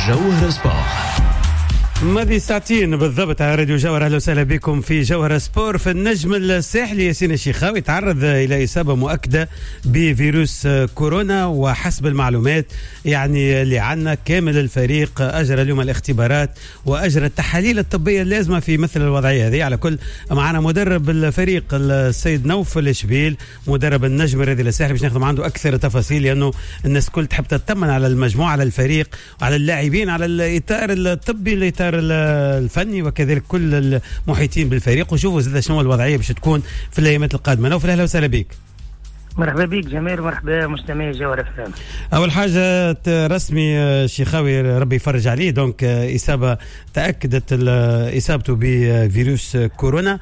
جوهرة سبور. ماضي ساعتين بالضبط على راديو جوهرة. اهلا وسهلا بكم في جوهرة سبور. في النجم الساحلي ياسين الشيخاوي تعرض الى اصابه مؤكدة بفيروس كورونا، وحسب المعلومات يعني اللي عندنا كامل الفريق اجرى اليوم الاختبارات واجرى التحاليل الطبية اللازمة في مثل الوضعية هذه. على كل معنا مدرب الفريق السيد نوفل شبيل مدرب النجم الرياضي الساحلي باش ناخذ عنده اكثر تفاصيل، لانه الناس كل تحب تطمن على المجموعة، على الفريق، على اللاعبين، على الاطار الطبي، الاطار الفني، وكذلك كل المحيطين بالفريق، وشوفوا زاد شنو الوضعية باش تكون في الايامات القادمة. نوفل اهلا وسهلا بك. مرحبا بك جميل، مرحبا مستمعي جوهرة FM. اول حاجة رسمي شيخاوي ربي يفرج عليه، donc اصابه تاكدت اصابته بفيروس كورونا.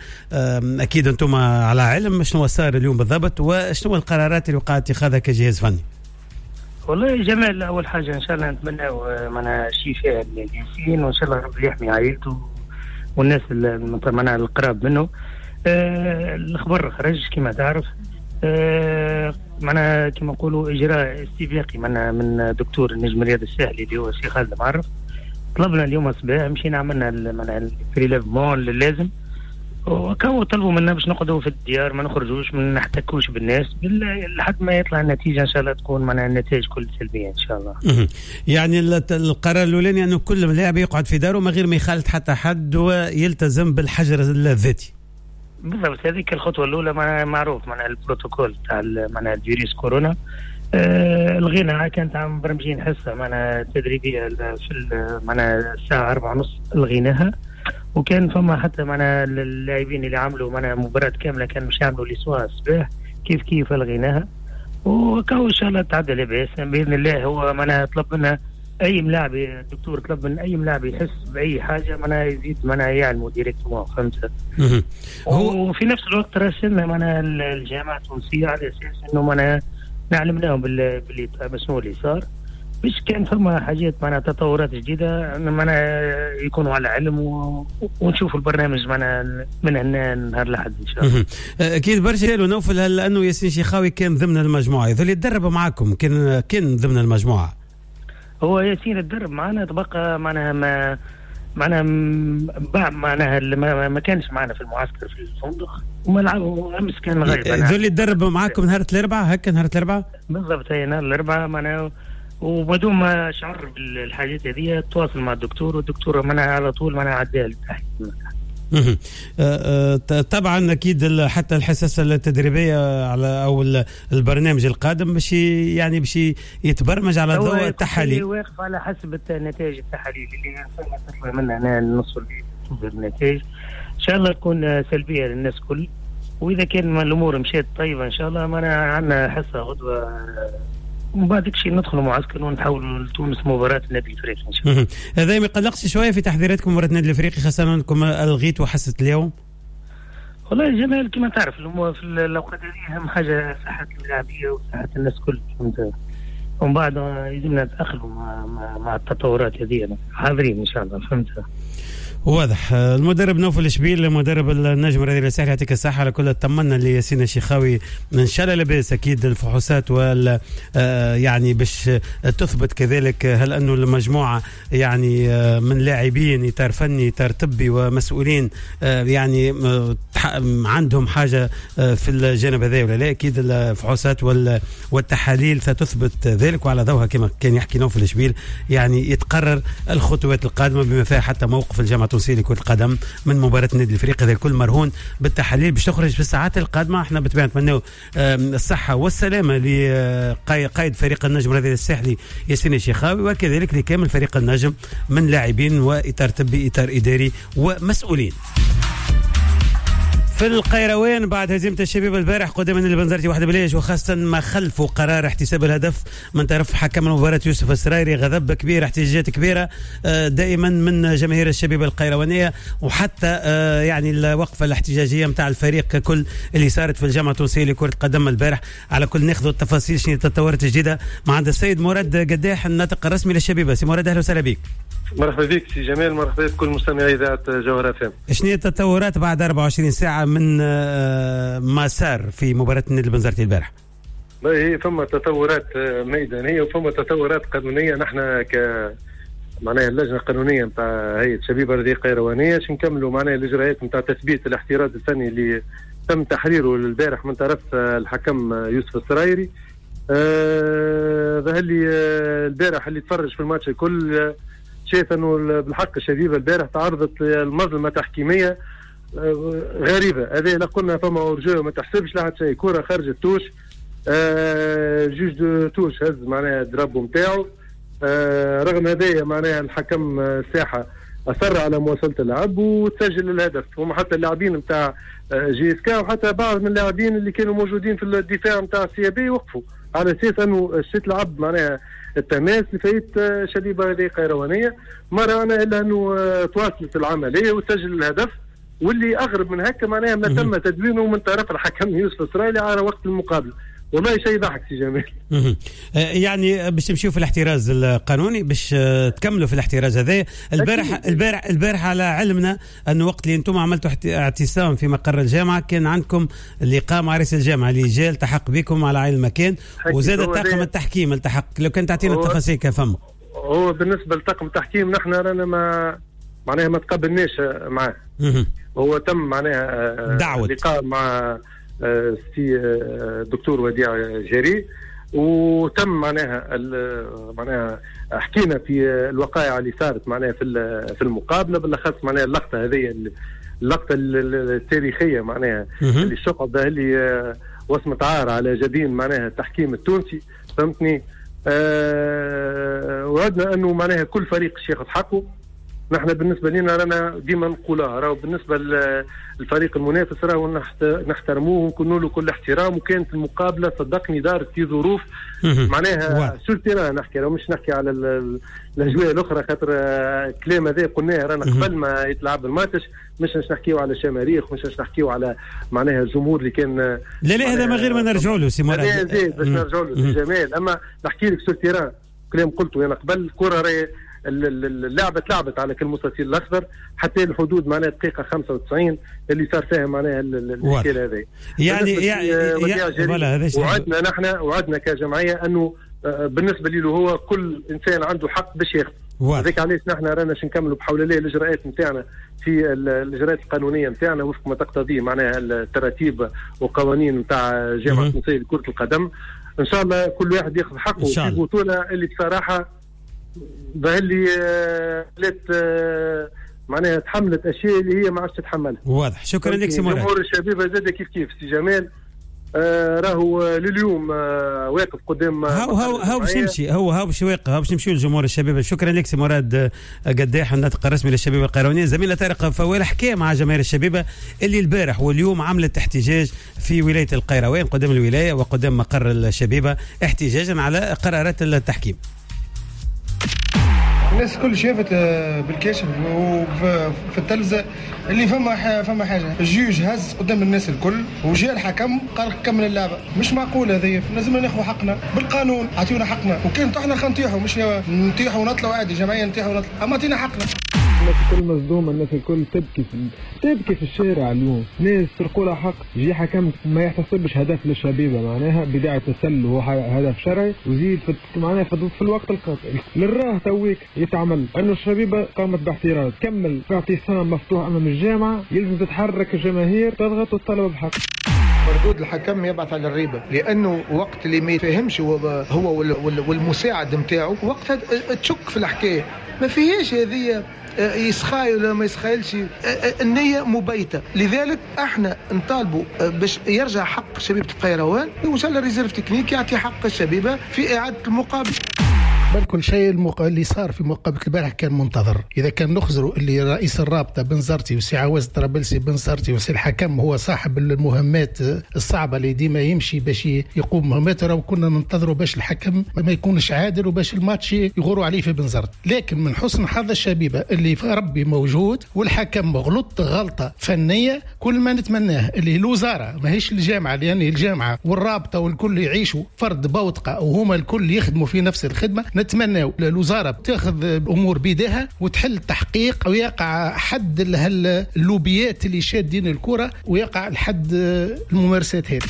اكيد انتم على علم شنو صار اليوم بالضبط وشنو القرارات اللي وقع اتخاذها كجهاز فني. والله جمال، اول حاجة ان شاء الله نتمنى معنا شفاء لياسين، وان شاء الله ربي يحمي عائلته والناس معناها القراب منه. الخبر خرج كما تعرف، معناها كما نقولوا اجراء استباقي معناها من دكتور النجم الرياضي الساحلي اللي هو الشيخ خالد معرف. طلبنا اليوم الصباح مشينا عملنا معناها ال prélèvement اللازم، وكانوا طلبوا منا باش نقعدوا في الديار، ما نخرجوش، ما نحتكوش بالناس لحد ما يطلع النتيجة ان شاء الله تكون معناها النتائج كل سلبية ان شاء الله. يعني القرار الاولاني انه كل لاعب يقعد في داره من غير ما يخالط حتى حد ويلتزم بالحجر الذاتي. بالضبط، هذيك الخطوة الاولى معروف معناها البروتوكول تاع معناها الفيروس كورونا. الغينا كانت عم برمجين حصة معناها تدريبية في معناها الساعة 4:30 الغيناها، وكان فما حتى معنا اللاعبين اللي عملوا معنا مباراة كاملة كانوا مش يعملوا les soins الصباح كيف كيف الغيناها، وكاو ان شاء الله تعدى لاباس باذن الله. هو معناها طلب منا اي ملاعب، الدكتور طلب من اي ملاعب يحس باي حاجة معناها يزيد معناها يعلموا directement، فهمت؟ وفي نفس الوقت راسلنا معناها الجامعة التونسية على اساس انه معناها نعلمناهم باللي شنو اللي صار، باش كان فما حاجات معناها تطورات جديدة معناها يكونوا على علم ونشوفوا البرنامج معناها من هنا نهار الاحد ان شاء الله. اكيد برشا نوفل، هل انه ياسين شيخاوي كان ضمن المجموعة اللي تدرب معاكم، كان ضمن المجموعة؟ هو ياسين تدرب معنا، تبقى معناها ما معناها معناها ما كانش معنا في المعسكر في الفندق وما لعبوا امس، كان غايب. ذو اللي تدرب معاكم نهار الاربعاء، هكا نهار الاربعاء بالضبط، هي نهار الاربعاء معناها، وبدون ما شعر بالحاجات هذه تواصل مع الدكتور، والدكتور منع على طول منع عداه للتحليل. طبعا اكيد حتى الحصص التدريبية على او البرنامج القادم باش يعني باش يتبرمج على ضوء التحاليل، واقف على حسب النتائج التحاليل اللي تطلع منها هنا النص النتائج ان شاء الله تكون سلبية للناس كل، واذا كان الامور مشات طيبة ان شاء الله معنا عندنا حصة غدوه، ومن بعد شيء ندخلوا معسكر ونحاولوا لتونس مباراة النادي الافريقي ان شاء الله. هذا ما يقلقش شوية في تحضيراتكم مباراة النادي الافريقي، خاصة انكم الغيتوا حصة اليوم؟ والله جمال كما تعرف في الاوقات هذه اهم حاجة صحة اللاعبيه وصحة الناس كل، فهمت؟ ومن بعد لازمنا نتاقلموا مع التطورات هذه، حاضرين ان شاء الله، فهمت؟ واضح. المدرب نوفل شبيل مدرب النجم الرياضي الساحلي يعطيك الصحة على كل، طمنا لياسين الشيخاوي ان شاء الله لاباس. اكيد الفحوصات وال يعني باش تثبت كذلك هل انه المجموعة يعني من لاعبين، اطار فني، اطار طبي، ومسؤولين يعني عندهم حاجة في الجانب هذا ولا لا. اكيد الفحوصات والتحاليل ستثبت ذلك، وعلى ضوءها كما كان يحكي نوفل شبيل يعني يتقرر الخطوات القادمة بما فيها حتى موقف الجامعة التونسية لكرة القدم من مباراة النادي الافريقي. هذا الكل مرهون بالتحاليل باش تخرج في الساعات القادمة. احنا بالطبيعة نتمنوا الصحة والسلامة لقائد فريق النجم الرياضي الساحلي ياسين الشيخاوي، وكذلك لكامل فريق النجم من لاعبين وإطار طبي، إطار إداري، ومسؤولين. في القيروان بعد هزيمة الشبيبة البارح قدام النادي البنزرتي 1-0، وخاصة ما خلفوا قرار احتساب الهدف من طرف حكم المباراة يوسف السرايري، غضب كبير، احتجاجات كبيرة دائما من جماهير الشبيبة القيروانية، وحتى يعني الوقفة الاحتجاجية متاع الفريق ككل اللي صارت في الجامعة التونسية لكرة القدم البارح. على كل ناخذ التفاصيل شنو التطورات الجديدة مع عند السيد مراد قداح الناطق الرسمي للشبيبة. سي مراد اهلا وسهلا بك. مرحبا بك سي جمال، مرحبا بكل مستمعي اذاعة جوهرة FM. شنو التطورات بعد 24 ساعة من ما صار في مباراة النادي البنزرتي البارح؟ هي فما تطورات ميدانية وفما تطورات قانونية. نحن معناها اللجنة القانونية نتاع هيئة شبيبة الرياضية القيروانيه باش نكملوا معناها الاجراءات نتاع تثبيت الاحتراز الفني اللي تم تحريره البارح من طرف الحكم يوسف السرايري. ظهر لي البارح اللي تفرج في الماتش الكل شايف انه بالحق الشبيبة البارح تعرضت لمظلمه تحكيميه غريبة. هذه لا قلنا فما hors-jeu ما تحسبش لا حتى شيء، كره خرجت touche، juge de touche هز معناها drapeau نتاعو. رغم هذايا معناها الحكم الساحة اصر على مواصلة اللعب وتسجل الهدف. هما حتى اللاعبين نتاع JSK وحتى بعض من اللاعبين اللي كانوا موجودين في الدفاع نتاع CAB وقفوا على اساس انه تلعب معناها التماس لفايت شبيبة هذه قيروانيه. ما رانا الا انه تواصلت العملية وسجل الهدف، واللي اغرب من هكا معناها ما تم تدوينه من طرف الحكم يوسف السرايلي على وقت المقابلة. والله شيء ضحك سي جمال. يعني باش تمشيو في الاحتراز القانوني، باش تكملوا في الاحتراز هذا. البارح على علمنا انه وقت اللي انتم عملتوا اعتصام في مقر الجامعة كان عندكم لقاء مع رئيس الجامعة اللي جا التحق بكم على عين المكان، وزاد طاقم التحكيم التحق. لو كان تعطينا التفاصيل كفم. هو بالنسبة لطاقم التحكيم نحن رانا ما معناها ما تقابلناش معاه. هو تم معناها دعوة لقاء مع سي الدكتور وديع جري، وتم معناها حكينا في الوقائع اللي صارت معناها في المقابلة، بالاخص معناها اللقطة هذه، اللقطة التاريخية معناها اللي الشقب اللي وصمة عار على جبين معناها التحكيم التونسي، فهمتني. وعدنا انه معناها كل فريق ياخذ حقه. نحن بالنسبة لنا رانا ديما نقولها، راهو بالنسبة للفريق المنافس راهو نحترموه ونكونوا له كل احترام. وكانت المقابلة صدقني دارت في ظروف معناها sur terrain نحكي، راهو مش نحكي على الاجواء الاخرى، خاطر الكلام هذا قلناه رانا قبل ما يتلعب الماتش. مش نحكيو على شماريخ، مش نحكيو على معناها الجمهور اللي كان لا لا هذا ما غير ما نرجعوا له سي مراد، باش نرجعوا له سي جمال. اما نحكي لك sur terrain كلام قلته انا قبل، الكره راهي اللعبة تلعبت على كل المستطيل الاخضر حتى الحدود معناها دقيقة 95 اللي صار فيها معناها الاشكال هذا. يعني وعدنا نحن، وعدنا كجمعية انه بالنسبة له هو كل انسان عنده حق باش ياخذ. هذاك علاش نحن رانا باش نكملوا بحول الله الاجراءات نتاعنا في الاجراءات القانونية نتاعنا وفق ما تقتضيه معناها التراتيب وقوانين نتاع الجامعة التونسية لكرة القدم. ان شاء الله كل واحد ياخذ حقه في بطوله اللي بصراحة ظهر لي معناها تحملت اشياء اللي هي ما عادش تتحملها. واضح. شكرا لك سي مراد. جمهور الشبيبة زاد كيف كيف سي جمال، راهو لليوم واقف قدام هاو باش نمشي، هو باش واقف، هاو باش نمشيو لجمهور الشبيبة. شكرا لك سي مراد قداح الناطق الرسمي للشبيبه القيروانيه. زميلنا طارق فوال حكى مع جماهير الشبيبة اللي البارح واليوم عملت احتجاج في ولاية القيروان قدام الولاية وقدام مقر الشبيبة احتجاجا على قرارات التحكيم. الناس الكل شافت بالكاشف وفي التلفزة اللي فما حاجة، ال juge هز قدام الناس الكل وجاء الحكم قال كمل اللعبة. مش معقول هذه، لازم ناخذ حقنا بالقانون، اعطيونا حقنا. وكان طحنا خلينا نطيحوا، مش نطيحوا ونطلعوا عادي، جمعية نطيحوا ونطلعوا، اما اعطينا حقنا. الناس الكل مصدومة، الناس الكل تبكي في الشارع اليوم، ناس سرقوا لها حق، جي حكم ما يحتسبش هدف للشبيبه معناها بداية تسلل وهو هدف شرعي، وزيد معناها في الوقت القاتل للراه تويك يتعمل انه الشبيبة قامت باحتراز، كمل في اعتصام مفتوح امام الجامعة، يلزم تتحرك الجماهير تضغط وتطالب بحق. مردود الحكم يبعث على الريبة، لانه وقت اللي ما يفهمش هو والمساعد نتاعو وقتها تشك في الحكاية، ما فيهاش هذه يسخايل ولا ما يسخايلش، النية مبيتة. لذلك احنا نطالبوا باش يرجع حق شبيبة القيروان، وان شاء الله réserve technique يعطي حق الشبيبة في إعادة المقابل. بل كل شيء اللي صار في مقابلة البارح كان منتظر. إذا كان نخزروا اللي رئيس الرابطة بنزرتي وسي عواز طرابلسي بنزرتي وسي الحكم هو صاحب المهمات الصعبة اللي ديما يمشي باش يقوم مهماته، راهو كنا ننتظروا باش الحكم ما يكونش عادل وباش الماتش يغوروا عليه في بنزرت. لكن من حسن حظ الشبيبة اللي في ربي موجود والحكم غلط غلطة فنية. كل ما نتمناه اللي الوزارة ماهيش الجامعة، لأن الجامعة والرابطة والكل يعيشوا فرد بوتقة وهما الكل يخدموا في نفس الخدمة. نتمنى الوزارة تاخذ الأمور بيدها وتحل تحقيق ويقع حد اللوبيات اللي شادين الكرة ويقع الحد الممارسات هذه.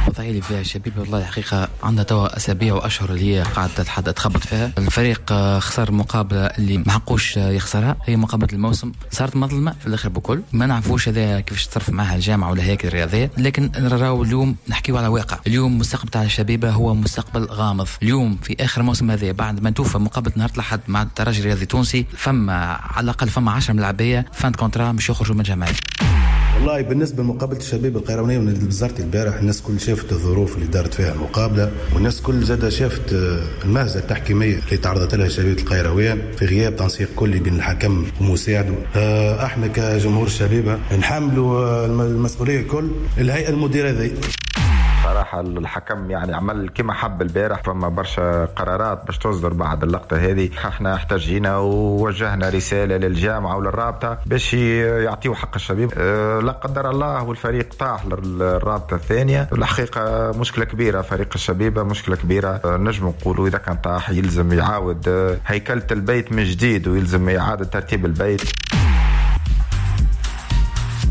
الوضعية اللي فيها الشبيبة والله الحقيقة عندها توا اسابيع واشهر اللي هي قاعدة تخبط فيها. الفريق خسر مقابله اللي ما حقوش يخسرها، هي مقابله الموسم، صارت مظلمة في الاخر بكل، ما نعرفوش هذا كيفاش تصرف معها الجامعة ولا هياكل الرياضية، لكن نراو اليوم نحكيو على واقع. اليوم مستقبل تاع الشبيبة هو مستقبل غامض. اليوم في اخر موسم هذا بعد ما توفى مقابله نهار الاحد مع الترجي الرياضي التونسي، فما على الاقل فما 10 ملاعبيه fin de contrat مش يخرجوا من الجمعية. والله بالنسبة لمقابلة الشبيبة القيروانيه والنادي البزرتي البارح، الناس كل شافت الظروف اللي دارت فيها المقابلة، والناس كل زادة شافت المهزلة التحكيميه اللي تعرضت لها شبيبة القيروان في غياب تنسيق كلي بين الحكم ومساعدة. احنا كجمهور الشبيبة نحملوا المسؤولية الكل الهيئة المديرة ذي. صراحة الحكم يعني عمل كما حب البارح، فما برشا قرارات باش تصدر بعد اللقطة هذه. احنا احتجينا ووجهنا رسالة للجامعة وللرابطة باش يعطيوا حق الشبيب. لا قدر الله والفريق طاح للرابطة الثانية، الحقيقة مشكلة كبيرة، فريق الشبيبة مشكلة كبيرة. نجم نقولوا إذا كان طاح يلزم يعاود هيكلة البيت من جديد ويلزم إعادة ترتيب البيت.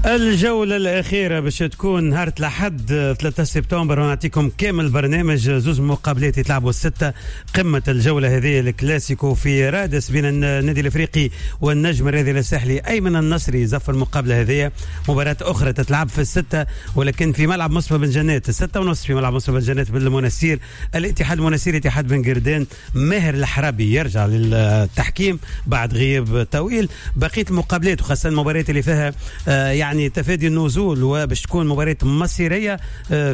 الجولة الأخيرة باش تكون نهار الأحد 3 سبتمبر، ونعطيكم كامل برنامج. زوز مقابلات يتلعبوا الستة، قمة الجولة هذه الكلاسيكو في رادس بين النادي الإفريقي والنجم الرياضي الساحلي. أيمن النصري زف المقابلة هذه. مباراة أخرى تتلعب في الستة ولكن في ملعب مصطفى بن جنات 6:30 في ملعب مصطفى بن جنات بالمنسير، الاتحاد المنسير اتحاد بن قردان. ماهر الحرابي يرجع للتحكيم بعد غياب طويل. بقية المقابلات وخاصة المباريات اللي فيها يعني تفادي النزول وباش تكون مباراة مصيرية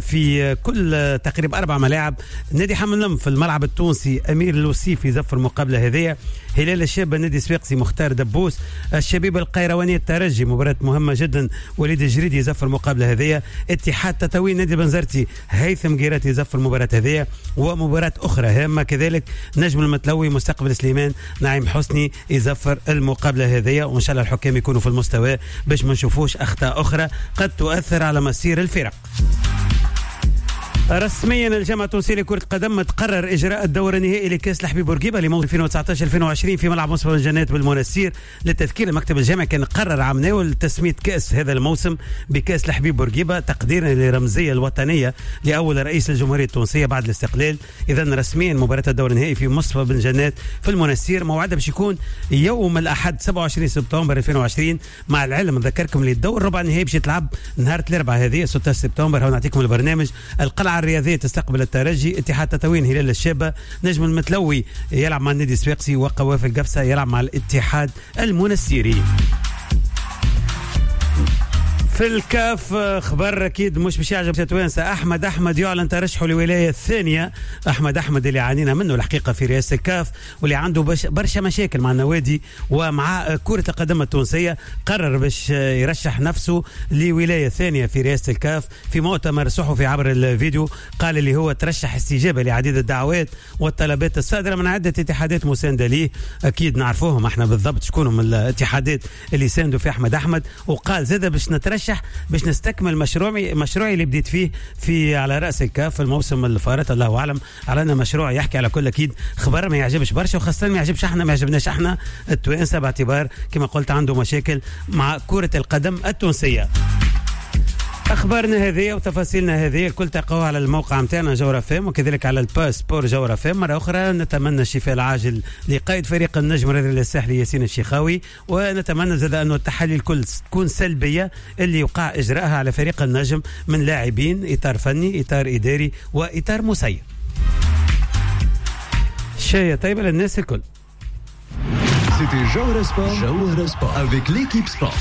في كل تقريبا 4 ملاعب. نادي حمام في الملعب التونسي أمير الوصيفي زفر المقابلة هذه. هلال الشابة نادي صفاقسي مختار دبوس. الشبيبة القيروانية الترجي مباراة مهمة جدا، وليد الجريدي زفر المقابلة هذه. اتحاد تطاوين نادي بنزرتي هيثم جيراتي زفر المباراة هذه. ومباراة أخرى هامة كذلك نجم المتلوي مستقبل سليمان نعيم حسني يزفر المقابلة هذه. وإن شاء الله الحكام يكونوا في المستوى باش ما نشوفوش أخطاء أخرى قد تؤثر على مسير الفرق. رسميا الجامعة التونسية لكرة القدم تقرر إجراء الدور النهائي لكأس الحبيب بورقيبة لموسم 2019-2020 في ملعب مصطفى بن جنات بالمنستير. للتذكير المكتب الجامعي كان قرر عام ناول تسمية كأس هذا الموسم بكأس الحبيب بورقيبة تقديرا للرمزية الوطنية لأول رئيس الجمهورية التونسية بعد الاستقلال. إذا رسميا مباراة الدور النهائي في مصطفى بن جنات في المنستير موعدها باش يكون يوم الأحد 27 سبتمبر 2020. مع العلم نذكركم للدور الربع النهائي باش يتلعب نهار الأربعاء هذه 16 سبتمبر. هنا نعطيكم البرنامج. القلعة الرياضية تستقبل الترجي، اتحاد تطاوين هلال الشابة، نجم المتلوي يلعب مع النادي الصفاقسي، وقوافل قفصة يلعب مع الاتحاد المنستيري. في الكاف خبر اكيد مش باش يعجب توانسة، احمد احمد يعلن ترشحه للولاية الثانية. احمد احمد اللي عانينا منه الحقيقة في رئاسة الكاف واللي عنده برشا مشاكل مع النوادي ومع كره القدم التونسية، قرر باش يرشح نفسه لولاية ثانية في رئاسة الكاف. في مؤتمر صحفي عبر الفيديو قال اللي هو ترشح استجابة لعديد الدعوات والطلبات الصادرة من عده اتحادات مساندة ليه. اكيد نعرفوهم احنا بالضبط شكونهم الاتحادات اللي ساندوا في احمد احمد. وقال زاد باش نترشح باش نستكمل مشروعي اللي بديت فيه في على رأس الكاف في الموسم الفارط. الله أعلم على أن مشروع يحكي على كل أكيد خبر ما يعجبش برشا، وخاصة ما يعجبش احنا، ما يعجبناش احنا التوانسة باعتبار كما قلت عنده مشاكل مع كرة القدم التونسية. اخبارنا هذه وتفاصيلنا هذه الكل تلقوها على الموقع نتاعنا جوهرة فام وكذلك على ال page sport جوهرة فام. مرة اخرى نتمنى الشفاء العاجل لقائد فريق النجم الرياضي الساحلي ياسين الشيخاوي، ونتمنى زاد انه التحاليل الكل تكون سلبية اللي يوقع اجراءها على فريق النجم من لاعبين، اطار فني، اطار اداري، واطار مسير. شايه طيبة للناس الكل. C'était Jawhara Sport, Jawhara Sport avec l'équipe sport.